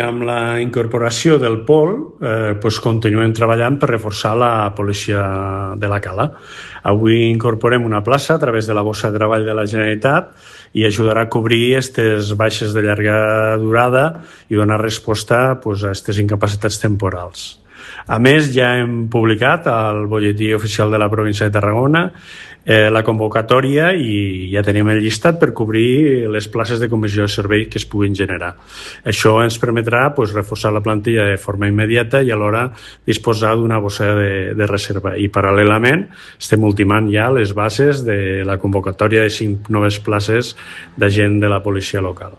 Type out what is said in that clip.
Amb la incorporació del POL, continuem treballant per reforçar la policia de la Cala. Avui incorporem una plaça a través de la bossa de treball de la Generalitat i ajudarà a cobrir aquestes baixes de llarga durada i donar resposta a aquestes incapacitats temporals. A més, ja hem publicat al Bolletí Oficial de la Província de Tarragona la convocatòria i ja tenim el llistat per cobrir les places de comissió de servei que es puguin generar. Això ens permetrà reforçar la plantilla de forma immediata i alhora disposar d'una bossa de reserva. I paral·lelament estem ultimant ja les bases de la convocatòria de 5 noves places d'agent de la policia local.